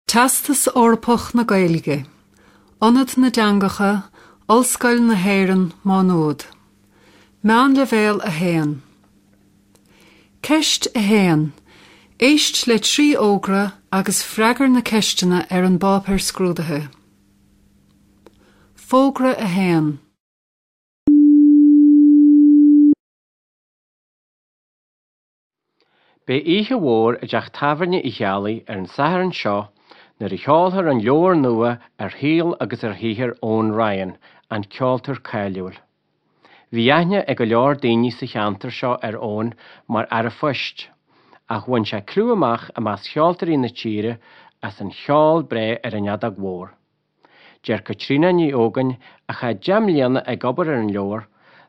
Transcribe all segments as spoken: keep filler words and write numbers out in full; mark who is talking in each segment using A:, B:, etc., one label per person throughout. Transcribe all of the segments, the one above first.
A: Teastas Eorpach na Gaeilge, Ionad na dTeangacha, Ollscoil na hÉireann, Má Nuad. Meánleibhéal a haon. Ceist a haon. Éist le trí fhógra agus freagair na ceisteanna ar an bpáipéar scrúdaithe. Fógra a haon.
B: Beidh oíche mhór i dteach tábhairne Uí Cheallaigh ar an Satharn seo nuair a sheolfar an leabhar nua ar shaol agus ar shaothar Eoin Ryan, an ceoltóir cáiliúil. Bhí aithne ag go leor daoine sa cheantar seo ar Eoin mar fhear an phoist, ach bhain sé clú amach i measc cheoltóirí na tíre as an cheol breá ar an fheadóg mhór. Deir Caitríona Ní Ógáin, a chaith deich mbliana ag obair ar an leabhar,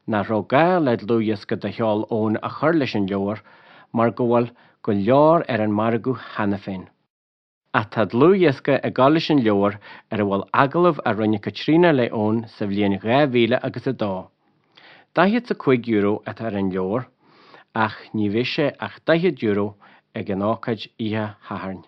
B: nach raibh gá le dlúthdhiosca de cheol Eoin a chur leis an leabhar mar go bhfuil go leor ar an margadh cheana féin. Ach tá dlúthdhiosca ag dul leis an leabhar ar a bhfuil agallamh a rinne Caitríona le Eoin sa bhliain dhá mhíle agus a dó. Daichead 's a cúig euro atá ar an leabhar ach ní bheidh sé ach daichead euro ag an ócáid oíche Shathairn.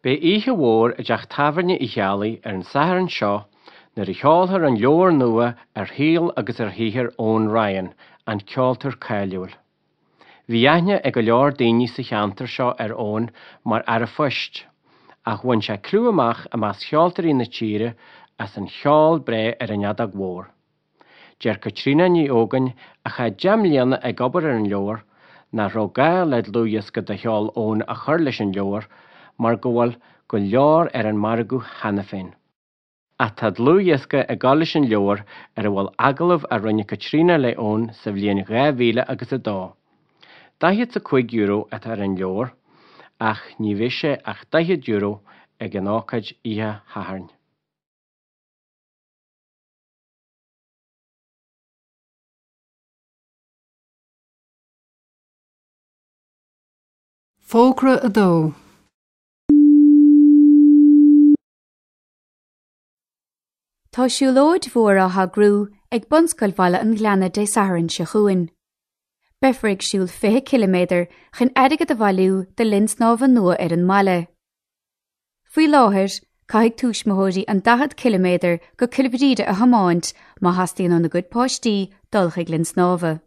B: Beidh oíche mhór i dteach tábhairne Uí Cheallaigh ar an Satharn seo nuair a sheolfar an leabhar nua ar shaol agus ar shaothar Eoin Ryan, an ceoltóir cáiliúil. Bhí aithne ag go leor daoine sa cheantar seo ar Eoin mar fhear an phoist, ach bhain sé clú amach i measc cheoltóirí na tíre as an cheol breá ar an fheadóg mhór. Deir Caitríona Ní Ógáin, a chaith deich mbliana ag obair ar an leabhar, nach raibh gá le dlúthdhiosca de cheol Eoin a chur leis an leabhar mar go bhfuil go leor ar an margadh cheana féin. Ach tá dlúthdhiosca ag dul leis an leabhar ar a bhfuil agallamh a rinne Caitríona le Eoin sa bhliain dhá mhíle agus a dó. Daichead 's a cúig euro atá ar an leabhar ach ní bheidh sé ach daichead euro ag an ócáid oíche Shathairn.
A: Fógra a dó.
C: Tá siúlóid mhór á heagrú ag Bunscoil Bhaile an Ghleanna Dé Sathairn seo chugainn. Beifear ag siúl fiche ciliméadar chun airgead a bhailiú do linn snámha nua ar an mbaile. Faoi láthair, caithfidh tuismitheoirí an daichead ciliméadar go Cill Bhríde a thiomáint má theastaíonn óna gcuid páistí dul chuig linn snámha.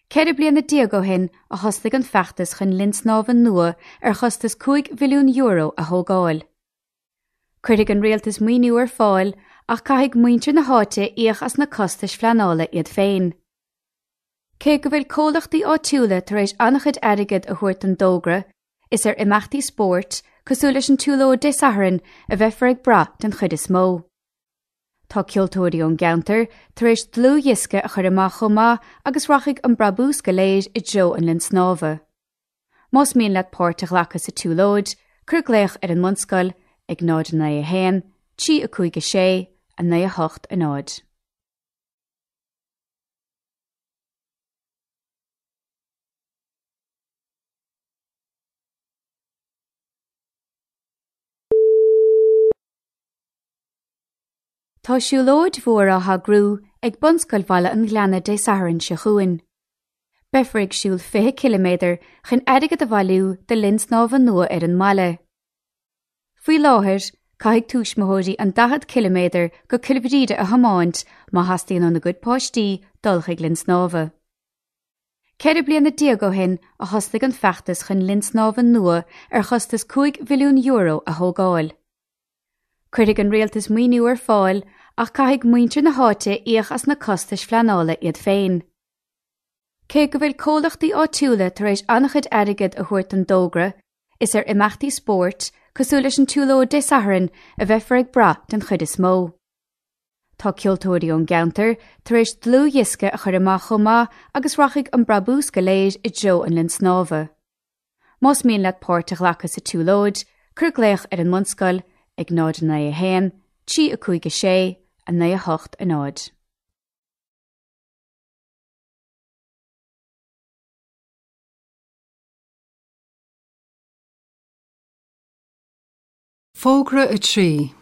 C: Ceithre bliana déag ó shin a thosnaigh an feachtas chun linn snámha nua ar chostas cúig mhilliún euro a thógáil. Cuirfidh an rialtas maoiniú ar fáil ach caithfidh muintir na háite íoc as na costais phleanála iad féin. Cé go bhfuil comhlachtaí áitiúla tar éis an-chuid airgid a thabhairt don dtogra, is ar imeachtaí spóirt, cosúil leis an tsiúlóid Dé Sathairn, a bheifear ag brath den chuid is mó. Tá ceoltóirí ón gceantar tar éis dlúthdhiosca a chur amach chomh maith agus rachaidh an brabús go léir i dtreo an linn snámha. Más mian leat páirt a ghlacadh sa tsiúlóid, cuir glaoch ar an mbunscoil ag náid naoi a haon, trí a cúig a sé, a naoi a hocht a náid. Tá siúlóid mhór á heagrú ag Bunscoil Bhaile an Ghleanna Dé Sathairn seo chugainn. Beifear ag siúl fiche ciliméadar chun airgead a bhailiú do linn snámha nua ar an mbaile. Faoi láthair, caithfidh tuismitheoirí an daichead ciliméadar go Cill Bhríde a thiomáint má theastaíonn óna gcuid páistí dul chuig linn snámha. Ceithre bliana déag ó shin a thosnaigh an feachtas chun linn snámha nua ar chostas cúig mhilliún euro a thógáil. Cuirfidh an rialtas maoiniú ar fáil ach caithfidh muintir na háite íoc as na costais phleanála iad féin. Cé go bhfuil comhlachtaí áitiúla tar éis an-chuid airgid a thabhairt don dtogra, is ar imeachtaí spóirt, cosúil leis an tsiúlóid Dé Sathairn, a bheifear ag brath den chuid is mó. Tá ceoltóirí ón gceantar tar éis dlúthdhiosca a chur amach chomh maith agus rachaidh an brabús go léir i dtreo an linn snámha. Más mian leat páirt a ghlacadh sa tsiúlóid, cuir glaoch ar an mbunscoil ag náid naoi a haon, trí a cúig a sé, a naoi a hocht a náid.
A: Fógra a trí.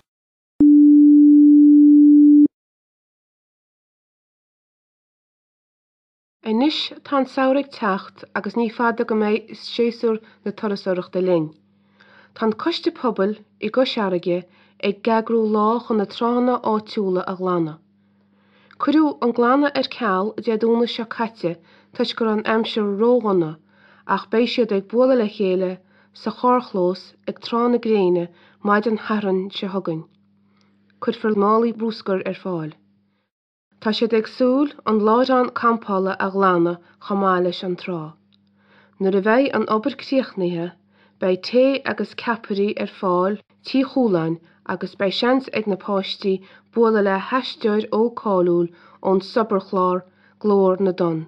D: Anois tá an samhradh ag teacht agus ní fada go mbeidh séasúr na turasóireachta linn. Tá an Coiste Pobail i gCois Fharraige ag eagrú lá chun na tránna áitiúla a ghlanadh. Cuireadh an glanadh ar ceal Dé Domhnaigh seo caite toisc go raibh an aimsir ródhona ach beidh siad ag bualadh le chéile sa charrchlós ag Trá na Gréine maidin Shathairn seo chugainn. Cuirfear málaí bruscair ar fáil. Tá siad ag súil an láithreán campála a ghlanadh chomh maith leis an trá. Nuair a bheidh an obair críochnaithe, beidh tae agus ceapairí ar fáil Tí Chualáin agus beidh seans ag na páistí bualadh le haisteoir óg cáiliúil ón sobarchlár Glór na dTonn.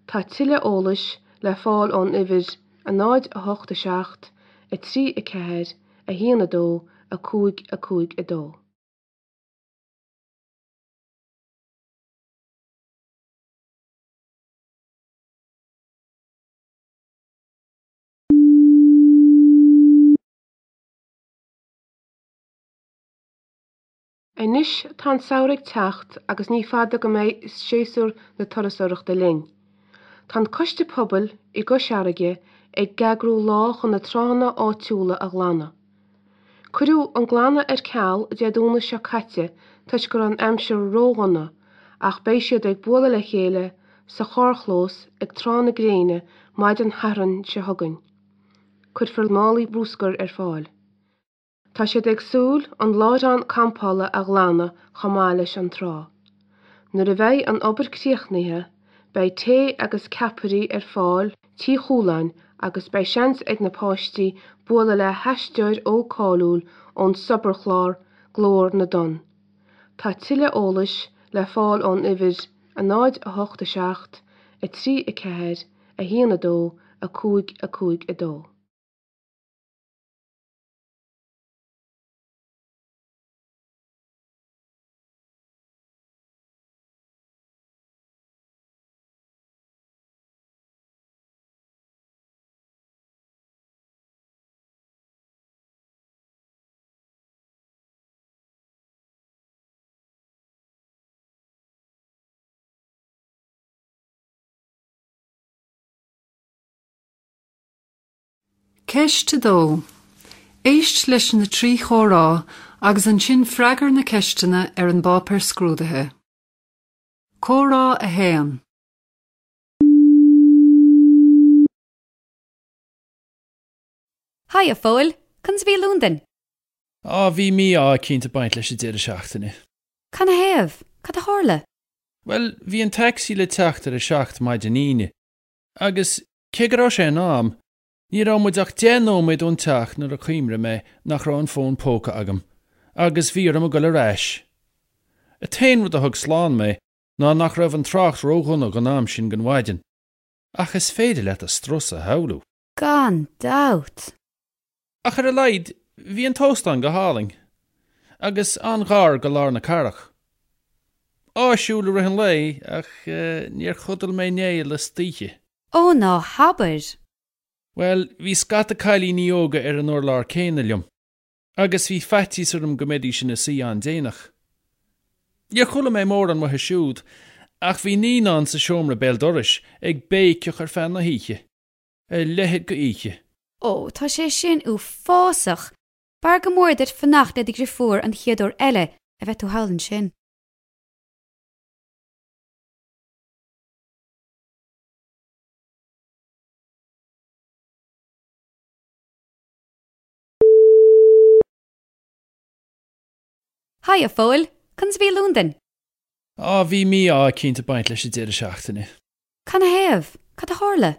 D: Tá tuilleadh eolais le fáil ón uimhir a náid a hocht a seacht, a trí a ceathair, a haon a dó, a cúig a cúig a dó. Anois tá an samhradh ag teacht agus ní fada go mbeidh séasúr na turasóireachta linn. Tá an Coiste Pobail i gCois Fharraige ag eagrú lá chun na tránna áitiúla a ghlanadh. Cuireadh an glanadh ar ceal Dé Domhnaigh seo caite toisc go raibh an aimsir ródhona ach beidh siad ag bualadh le chéile sa charrchlós ag Trá na Gréine maidin Shathairn seo chugainn. Cuirfear málaí bruscair ar fáil. Tá siad ag súil an láithreán campála a ghlanadh chomh maith leis an trá. Nuair a bheidh an obair críochnaithe, beidh tae agus ceapairí ar fáil Tí Chualáin agus beidh seans ag na páistí bualadh le haisteoir óg cáiliúil ón sobarchlár Glór na dTonn. Tá tuilleadh eolais le fáil ón uimhir a náid a hocht a seacht, a trí a ceathair, a haon a dó, a cúig a cúig a dó.
A: Ceist a dó. Éist leis na trí chomhrá agus ansin freagair na ceisteanna ar an bpáipéar scrúdaithe. Comhrá a haon.
C: Haigh a Phóil, conas a bhí Londain?
E: Á bhí mí-ádh eicínt ag baint leis an deireadh seachtaine.
C: Canathaobh? Cad a tharla?
E: Bhuel, bhí an taxi le teacht ar a seacht maidin Aoine, agus cé go raibh sé in am, ní raibh muid ach deich nóiméad ón teach nuair a chuimhnigh mé nach raibh an fón póca agam, agus bhí orm a ghoil ar ais. An t-aon rud a thug slán mé ná nach raibh an trácht ródhona don am sin den mhaidin. Ach is féidir leat an strus a shamhlú.
C: Gan dabht.
E: Ach ar a laghad, bhí an t-óstán go hálainn, agus an-ghar go lár na cathrach. Áisiúil i rith an lae, ach eh, níor chodail mé néal istoíche.
C: Ó ná habair!
E: Bhuel, bhí scata cailíní óga ar an urlár céanna liom, agus bhí faitíos orm go mbeidís ina suí an-déanach. Níor chuala mé mórán uathu siúd, ach bhí naíonán sa seomra béal dorais ag béiceach ar feadh na hoíche. A leithéid d'oíche.
C: Ó, tá sé sin uafásach! B'fhearr go mór duit fanacht le do dheirfiúr an chéad uair eile a bheidh tú thall ansin. Haigh a Phóil, conas a bhí Londain?
E: Á bhí mí-ádh eicínt ag baint leis an deireadh seachtaine.
C: Canathaobh? Cad a tharla?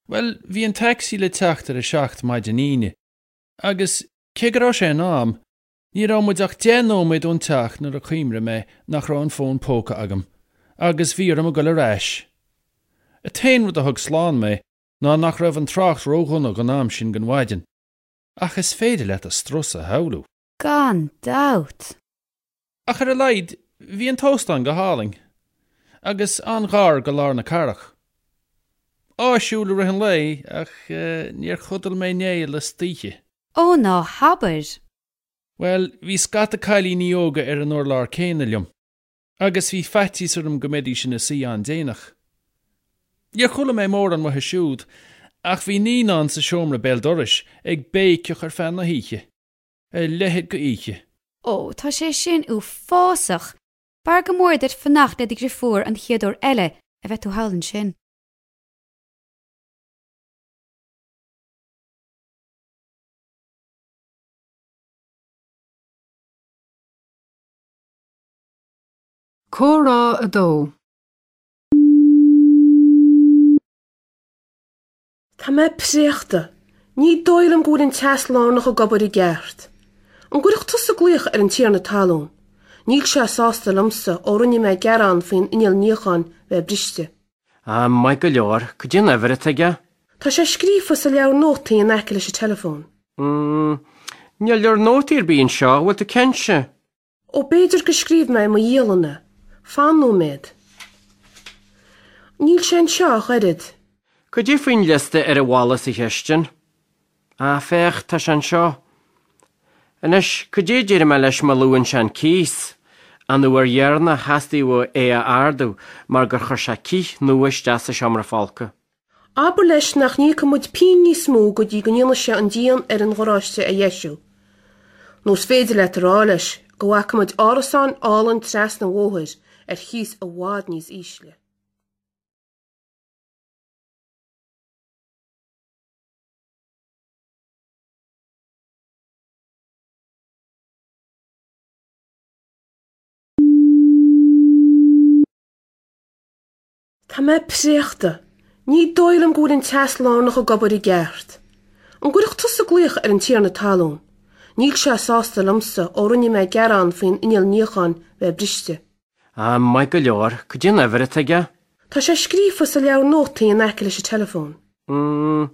E: Bhuel, bhí an taxi le teacht ar a seacht maidin Aoine, agus cé go raibh sé in am, ní raibh muid ach deich nóiméad ón teach nuair a chuimhnigh mé nach raibh an fón póca agam, agus bhí orm a ghoil ar ais. An t-aon rud a thug slán mé ná nach raibh an trácht ródhona don am sin den mhaidin. Ach is féidir leat an strus a shamhlú.
C: Gan dabht.
E: Ach ar a laghad, bhí an t-óstán go hálainn, agus an-ghar go lár na cathrach. Áisiúil i rith an lae, ach eh, níor chodail mé néal istoíche.
C: Ó ná habair!
E: Bhuel, bhí scata cailíní óga ar an urlár céanna liom, agus bhí faitíos orm go mbeidís ina suí an-déanach. Níor chuala mé mórán uathu siúd, ach bhí naíonán sa seomra béal dorais ag béiceach ar feadh na hoíche. A leithéid de oíche.
C: Ó, tá sé sin uafásach! B'fhearr go mór duit fanacht le do dheirfiúr an chéad uair eile a bheidh tú thall ansin.
A: Comhrá a dó.
D: Tá mé préachta. Ní dóigh liom go bhfuil an teas lárnach ag obair i gceart. An gcuirfeadh tusa glaoch ar an tiarna talún? Níl sé sásta liomsa ó rinne mé gearán faoin inneall níocháin bheith briste.
B: Ah, maith go leor, cad é an uimhir atá aige?
D: Tá sé scríofa sa leabhar nótaí in aice leis an teileafón.
B: Mm, níl leabhar nótaí ar bith anseo, bhfuil tú cinnte?
D: Ó b'fhéidir gur scríobh mé i mo dhialann é. Fan nóiméad. Níl sé anseo ach oiread.
B: Cad é faoin liosta ar an bhalla sa chistin? Ah, féach, tá sé anseo. Anois, cad é a déarfaidh mé leis má luann sé an cíos? An uair dheireanach theastaigh uaidh é a ardú mar gur chuir sé cith nua isteach sa seomra folctha.
D: Abair leis nach n-íocfaidh muid pingin níos mó go dtí go ndéanfaidh sé an díon ar an gharáiste a dheisiú. Nó is féidir leat a rá leis go bhfaca muid árasán álainn trasna an bhóthair ar chíos i bhfad níos ísle. Tá mé préachta. Ní dóigh liom go bhfuil an teas lárnach ag obair i gceart. An gcuirfeadh tusa glaoch ar an tiarna talún? Níl sé sásta liomsa ó rinne mé gearán faoin inneall níocháin bheith briste.
B: Ah, maith go leor, cad é an uimhir atá aige?
D: Tá sé scríofa sa leabhar nótaí in aice leis an teileafón.
B: Mm,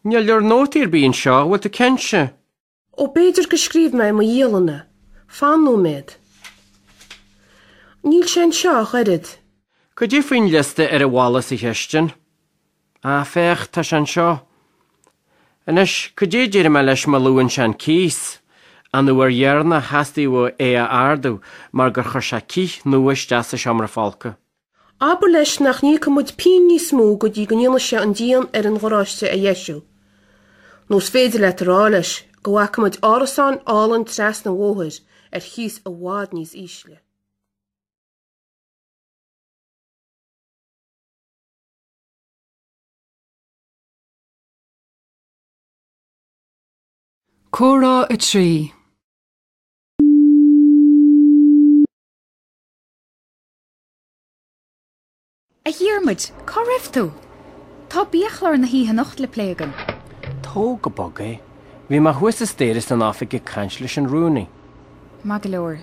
B: níl leabhar nótaí ar bith anseo, bhfuil tú cinnte?
D: Ó b'fhéidir gur scríobh mé i mo dhialann é. Fan nóiméad. Níl sé anseo ach oiread.
B: Cad é faoin liosta ar an bhalla sa chistin? Ah, féach, tá sé anseo. Anois, cad é a déarfaidh mé leis má luann sé an cíos? An uair dheireanach theastaigh uaidh é a ardú mar gur chuir sé cith nua isteach sa seomra folctha.
D: Abair leis nach n-íocfaidh muid pingin níos mó go dtí go ndéanfaidh sé an díon ar an gharáiste a dheisiú. Nó is féidir leat a rá leis go bhfaca muid árasán álainn trasna an bhóthair ar chíos i bhfad níos ísle.
A: Comhrá a trí.
C: A Dhiarmuid, cá raibh tú? Tá biachlár na hoíche anocht le plé againn.
B: Tóg go bog é. Bhí mé thuas an staighre san oifig ag caint leis an rúnaí.
C: Maith go leor.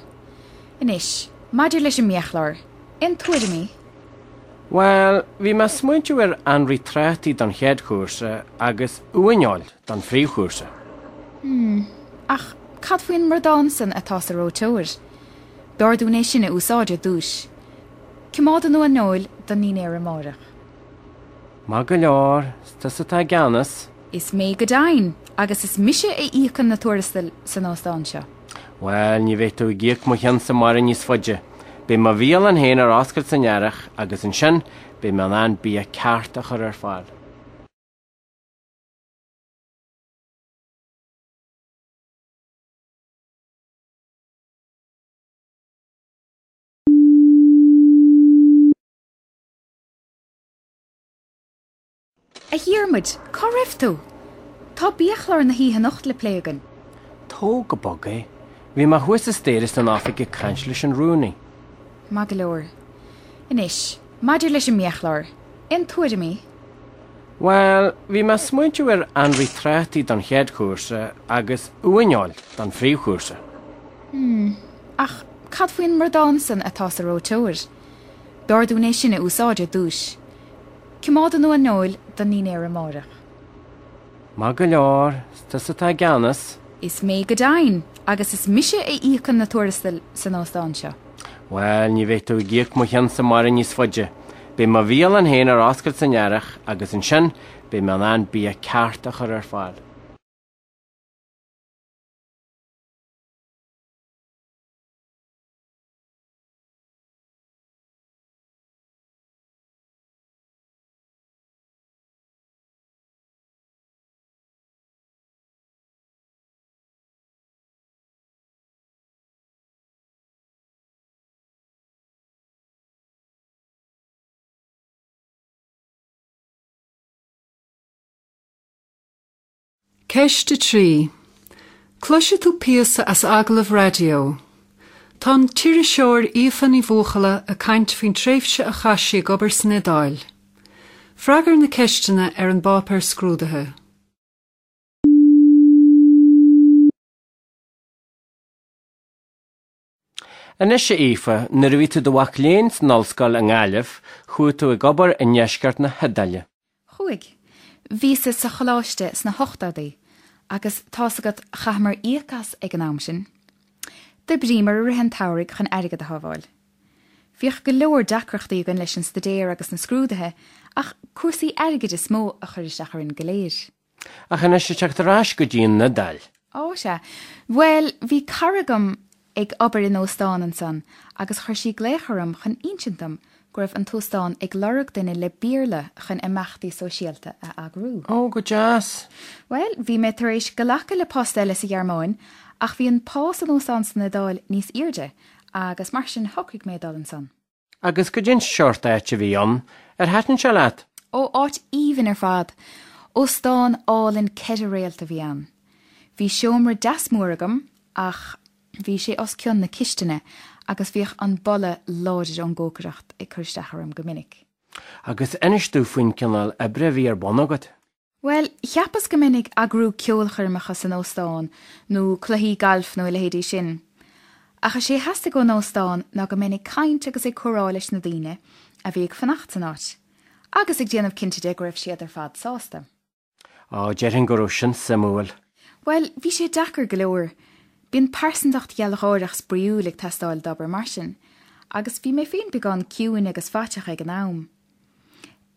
C: Anois, maidir leis an mbiachlár, aon tuairimí?
B: Bhuel, bhí mé ag smaointiú ar anraith trátaí don chéad chúrsa agus uaineoil don phríomhchúrsa.
C: Hmm, ach cad faoin mbradán san atá sa reoiteoir? B'fhearr dúinn é sin a úsáid ar dtús. Coimeád an uaineoil don ndinnéar amárach.
B: Maith go leor, is tusa atá i gceannas.
C: Is mé go deimhin, agus is mise a íocann na tuarastail san óstán seo.
B: Bhuel, ní bheidh tú ag íoc mo chionn-sa amárach níos faide. Beidh mo bhialann féin ar oscailt san earrach agus ansin beidh mé in ann bia ceart a chur ar fáil.
C: A Dhiarmuid, cá raibh tú? Tá biachlár na hoíche anocht le plé againn.
B: Tóg go bog é. Bhí mé thuas an staighre san oifig ag caint leis an rúnaí.
C: Maith go leor. Anois, maidir leis an mbiachlár, aon tuairimí?
B: Bhuel, bhí mé ag smaointiú ar anraith trátaí don chéad chúrsa agus uaineoil don phríomhchúrsa.
C: Hmm, ach cad faoin mbradán san atá sa reoiteoir? B'fhearr dúinn é sin a úsáid ar dtús. Coimeád an uaineoil don ndinnéar amárach.
B: Maith go leor, is tusa atá i gceannas.
C: Is mé go deimhin, agus is mise a íocann na tuarastail san óstán seo.
B: Bhuel, ní bheidh tú ag íoc mo chionn-sa amárach níos faide. Beidh mo bhialann féin ar oscailt san earrach agus ansin beidh mé in ann bia ceart a chur ar fáil.
A: Ceist a trí. Cloisfidh tú píosa as agallamh raidió. Tá an t-iriseoir Aoife Ní Bhuachalla ag caint faoin tréimhse a chaith sí ag obair san Iodáil. Freagair na ceisteanna ar an bpáipéar scrúdaithe.
B: Anois a Aoife, nuair a bhí tú i do mhac léinn san ollscoil i nGaillimh, chuaigh tú ag obair i ndeisceart na hIodáile.
C: Chuaigh. Bhíos-sa sa choláiste sna hochtóidí agus tá's agat chaitheamar íoc as ag an am sin. D'oibríomar i rith an tsamhraidh chun airgead a shábháil. Bhíodh go leor deacrachtaí againn leis an staidéar agus na scrúduithe ach cúrsaí airgid is mó a chuir isteach orainn go léir.
B: Ach anois ag teacht ar ais go dtí an Iodáil.
C: Ó sea. Bhuel, bhí cara agam ag obair in óstán ansan agus chuir sí glaoch orm chun insint dom go raibh an t-óstán ag lorg duine le Béarla chun imeachtaí sóisialta a eagrú.
E: Ó, go deas!
C: Bhuel, bhí mé tar éis glacadh le post eile sa Ghearmáin ach bhí an pá san óstán san Iodáil níos airde agus mar sin shocraigh mé dul ansan.
B: Agus goidé an seort áit a bhí ann, ar thaitin sé leat?
C: Ó, áit aoibhinn ar fad! Óstán álainn ceithre réalt a bhí ann. Bhí seomra deas mór agam ach bhí sé os cionn na cistine agus bhíodh an boladh láidir ón gcócaireacht ag cur isteach orm go minic.
B: Agus inis domh faoin cineál oibre a bhí ar bun agat.
C: Bhuel, cheapas go mbeinn ag eagrú ceolchoirmeacha san óstán nó cluichí gailf nó a leithéidí sin. Ach is é a theastaigh ón óstán ná go mbeinn ag caint agus ag comhrá leis na daoine a bhí ag fanacht san áit, agus ag déanamh cinnte de go raibh siad ar fad sásta.
B: Á, déarfainn go raibh sin suimiúil.
C: Bhuel, bhí sé deacair go leor. Bíonn pearsantacht ghealgháireach spraíúil ag teastáil d'obair mar sin, agus bhí mé féin beagán ciúin agus faiteach ag an am.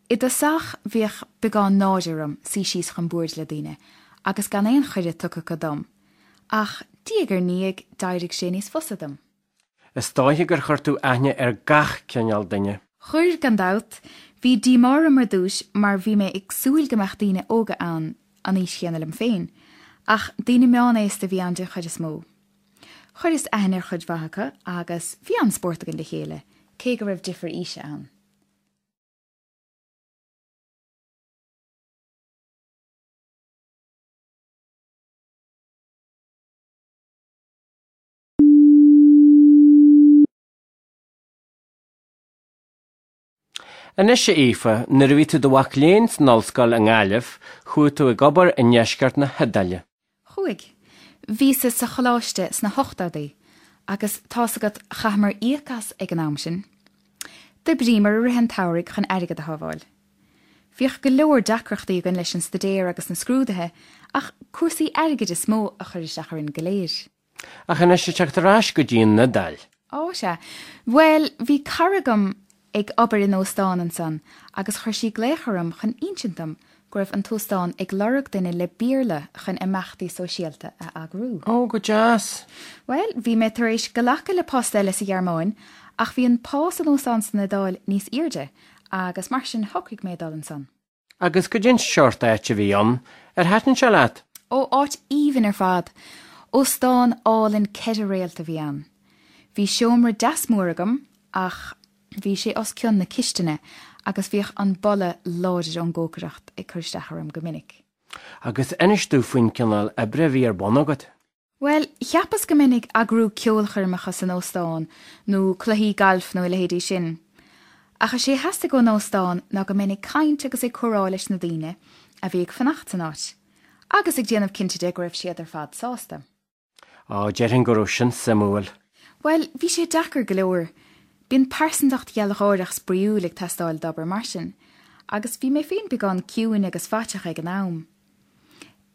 C: I dtosach bhíodh beagán náire orm suí síos chun boird le daoine agus gan aon chuireadh tugtha acu dom, ach diaidh ar ndiaidh d'éirigh sé níos fusa dom.
B: Is dóiche gur chuir tú aithne ar gach cineál duine.
C: Chuir, gan dabht. Bhí díomá orm ar dtús mar bhí mé ag súil go mbeadh daoine óga ann an aois chéanna liom féin, ach daoine meánaosta a bhí ann den chuid is mó. Chuireas aithne ar chuid mhaith acu agus bhí an-spórt againn le chéile, cé go raibh difear aoise ann.
B: Anois a Aoife, nuair a bhí tú i do mhac léinn san ollscoil i nGaillimh, chuaigh tú ag obair i ndeisceart na hIodáile.
C: Chuaigh. Bhíos-sa sa choláiste sna hochtóidí agus tá's agat chaitheamar íoc as ag an am sin. D'oibríomar i rith an tsamhraidh chun airgead a shábháil. Bhíodh go leor deacrachtaí againn leis an staidéar agus na scrúduithe ach cúrsaí airgid is mó a chuir isteach orainn go léir.
B: Ach anois ag teacht ar ais go dtí an Iodáil.
C: Ó sea. Bhuel, bhí cara agam ag obair in óstán ansan agus chuir sí glaoch orm chun insint dom go raibh an t-óstán ag lorg duine le Béarla chun imeachtaí sóisialta a eagrú.
E: Ó, go deas!
C: Bhuel, bhí mé tar éis glacadh le post eile sa Ghearmáin ach bhí an pá san óstán san Iodáil níos airde agus mar sin shocraigh mé dul ansan.
B: Agus goidé an seort áit a bhí ann, ar thaitin sé leat?
C: Ó, áit aoibhinn ar fad! Óstán álainn ceithre réalt a bhí ann. Bhí seomra deas mór agam ach bhí sé os cionn na cistine agus bhíodh an boladh láidir ón gcócaireacht ag cur isteach orm go minic.
B: Agus inis domh faoin cineál oibre a bhí ar bun agat.
C: Bhuel, cheapas go mbeinn ag eagrú ceolchoirmeacha san óstán nó cluichí gailf nó a leithéidí sin. Ach is é a theastaigh ón óstán ná go mbeinn ag caint agus ag comhrá leis na daoine a bhí ag fanacht san áit, agus ag déanamh cinnte de go raibh siad ar fad sásta.
B: Á, déarfainn go raibh sin suimiúil.
C: Bhuel, bhí sé deacair go leor. Bíonn pearsantacht ghealgháireach spraíúil ag teastáil d'obair mar sin, agus bhí mé féin beagán ciúin agus faiteach ag an am.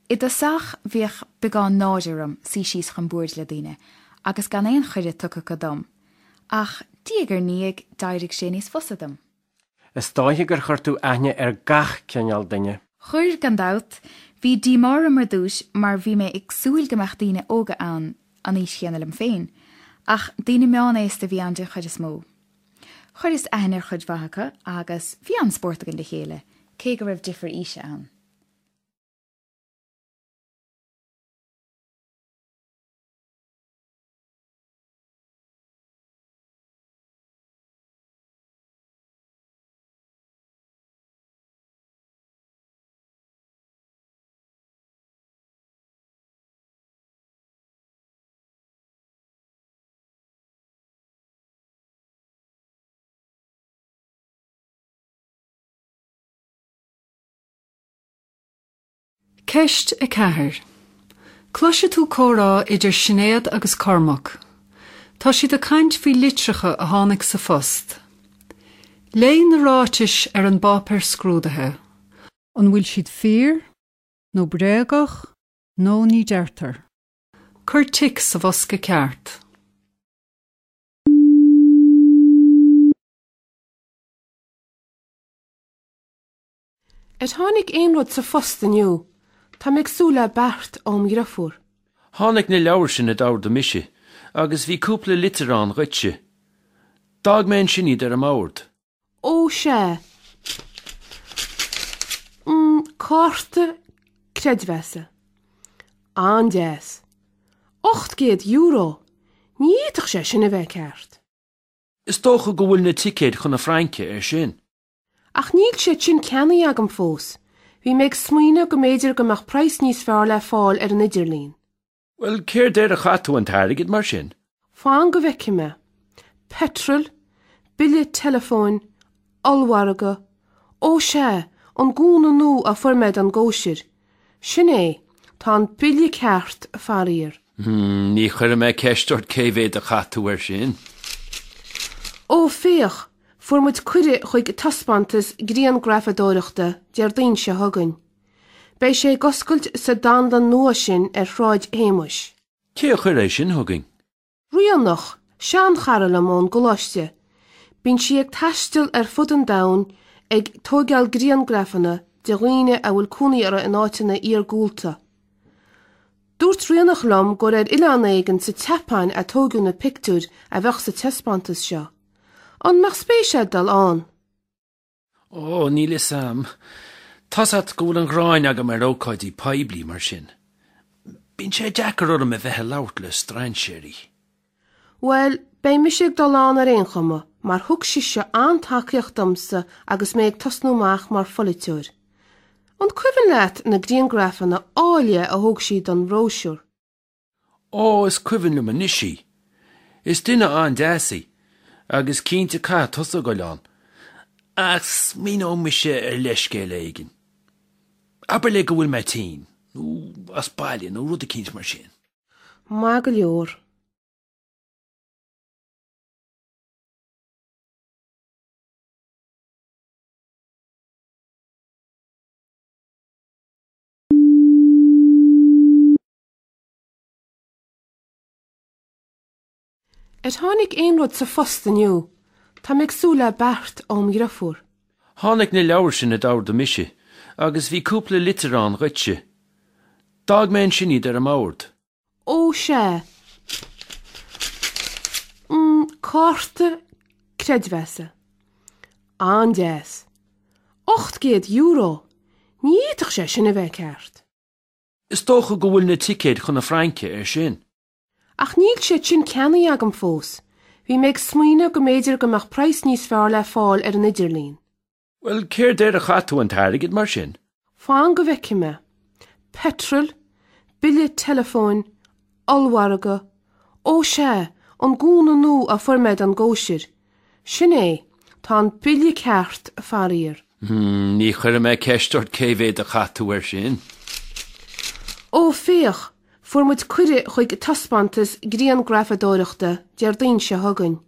C: I dtosach bhíodh beagán náire orm suí síos chun boird le daoine agus gan aon chuireadh tugtha acu dom, ach diaidh ar ndiaidh d'éirigh sé níos fusa dom.
B: Is dóiche gur chuir tú aithne ar gach cineál duine.
C: Chuir, gan dabht. Bhí díomá orm ar dtús mar bhí mé ag súil go mbeadh daoine óga ann an aois chéanna liom féin, ach daoine meánaosta a bhí ann den chuid is mó. Chuireas aithne ar chuid mhaith acu agus bhí an-spórt againn le chéile, cé go raibh difear aoise ann.
A: Ceist a ceathair. Cloisfidh tú comhrá idir Sinéad agus Cormac. Tá siad ag caint faoi litreacha a tháinig sa phost. Léigh na ráitis ar an bpáipéar scrúdaithe. An bhfuil siad fíor, nó bréagach, nó ní deirtear. Cuir tic sa bhosca ceart.
D: Ar tháinig aon rud sa phost inniu? Tá mé ag súil le beart óm dheirfiúr.
E: Tháinig na leabhair sin a d'ordaigh mise, agus bhí cúpla litir ann dhuitse. D'fhág mé ansin iad ar an mbord.
D: Ó sea. Mm, cárta creidmheasa. An-deas. Ocht gcéad euro! Ní fhéadfadh sé sin a bheith ceart.
E: Is dócha go bhfuil na ticéid chun na Fraince air sin.
D: Ach níl siad sin ceannaithe agam fós. Bhí mé ag smaoineamh go mb'fhéidir go mbeadh praghas níos fearr le fáil ar an idirlíon.
E: Bhuel, céard air a chaith tú an t-airgead mar sin?
D: Fan go bhfeicfidh mé. Petrol, bille teileafóin, ollmhargadh, ó sea, an gúna nua a fuair mé don gcóisir. Sin é, tá an bille ceart, faraor.
E: Hmm, ní chuirfidh mé ceist ort cé mhéad a chaith tú air sin.
D: Ó féach, fuair muid cuireadh chuig taispeántas grianghrafadóireachta Déardaoin seo chugainn. Beidh sé ag oscailt sa dánlann nua sin ar Shráid Shéamais.
E: Cé a chuir é sin chugainn?
D: Ríonach, seanchara liom ón gcoláiste. Bíonn sí ag taisteal ar fud an domhain ag tógáil grianghrafanna de dhaoine a bhfuil cónaí orthu in áiteanna iargúlta. Dúirt Ríonach liom gur ar oileán éigin sa tSeapáin a tógadh na pictiúir a bheadh sa taispeántas seo. An mbeadh spéis agat dul ann?
E: Ó, níl fhios a'm. Tá's a't go bhfuil an ghráin agam ar ócáidí poiblí mar sin. Bíonn sé deacair orm a bheith ag labhairt le strainséirí.
D: Bhuel, beidh mise ag dul ann ar aon chuma, mar thug sise an-tacaíocht domsa agus mé ag tosnú amach mar pholaiteoir. An cuimhin leat na grianghrafanna áille a thóg sí don bhróisiúr?
E: Ó, is cuimhin liom anois í. Is duine an-deas í, agus cinnte caithfidh tusa a ghoil ann. Ach smaoineoidh mise ar leithscéal éigin. Abair le go bhfuil mé tinn, nó as baile, nó rud eicínt mar sin.
D: Maith go leor. Ar tháinig aon rud sa phost inniu? Tá mé ag súil le beart óm dheirfiúr.
E: Tháinig na leabhair sin a d'ordaigh mise, agus bhí cúpla litir ann dhuitse. D'fhág mé ansin iad ar an mbord.
D: Ó sea. Mm, cárta creidmheasa. An-deas. Ocht gcéad euro! Ní fhéadfadh sé sin a bheith ceart.
E: Is dócha go bhfuil na ticéid chun na Fraince air sin.
D: Ach níl siad sin ceannaithe agam fós. Bhí mé ag smaoineamh go mb'fhéidir go mbeadh praghas níos fearr le fáil ar an idirlíon.
E: Bhuel, céard air a chaith tú an t-airgead mar sin?
D: Fan go bhfeicfidh mé. Petrol, bille teileafóin, ollmhargadh, ó sea, an gúna nua a fuair mé don gcóisir. Sin é, tá an bille ceart, faraor.
E: Hmm, ní chuirfidh mé ceist ort cé mhéad a chaith tú air sin.
D: Ó féach, fuair muid cuireadh chuig taispeántas grianghrafadóireachta Déardaoin seo chugainn.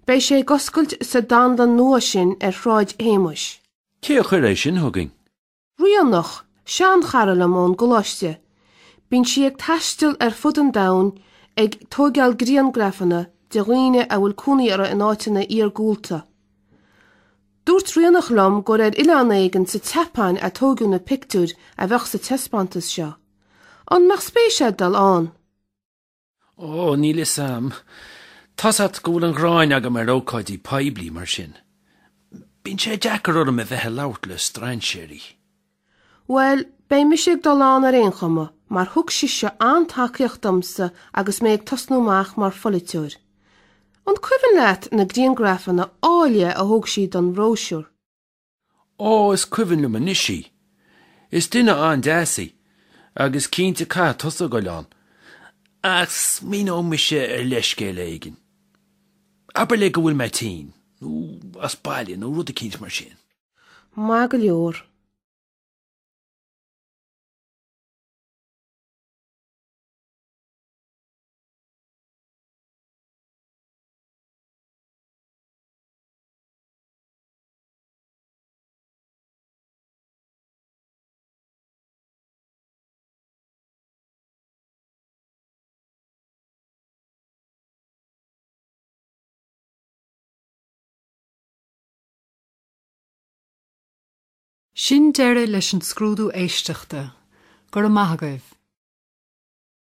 D: Beidh sé ag oscailt sa dánlann nua sin ar Shráid Shéamais.
E: Cé a chuir é sin chugainn?
D: Ríonach, seanchara liom ón gcoláiste. Bíonn sí ag taisteal ar fud an domhain ag tógáil grianghrafanna de dhaoine a bhfuil cónaí orthu in áiteanna iargúlta. Dúirt Ríonach liom gur ar oileán éigin sa tSeapáin a tógadh na pictiúir a bheadh sa taispeántas seo. An mbeadh spéis agat dul ann?
E: Ó, níl fhios a'm. Tá's a't go bhfuil an ghráin agam ar ócáidí poiblí mar sin. Bíonn sé deacair orm a bheith ag labhairt le strainséirí.
D: Bhuel, beidh mise ag dul ann ar aon chuma, mar thug sise an-tacaíocht domsa agus mé ag tosnú amach mar pholaiteoir. An cuimhin leat na grianghrafanna áille a thóg sí don bhróisiúr?
E: Ó, is cuimhin liom anois í. Is duine an-deas í, agus cinnte caithfidh tusa a ghoil ann. Ach smaoineoidh mise ar leithscéal éigin. Abair le go bhfuil mé tinn, nó as baile, nó rud eicínt mar sin.
D: Maith go leor.
A: Sin deireadh leis an scrúdú éisteachta. Go raibh maith agaibh.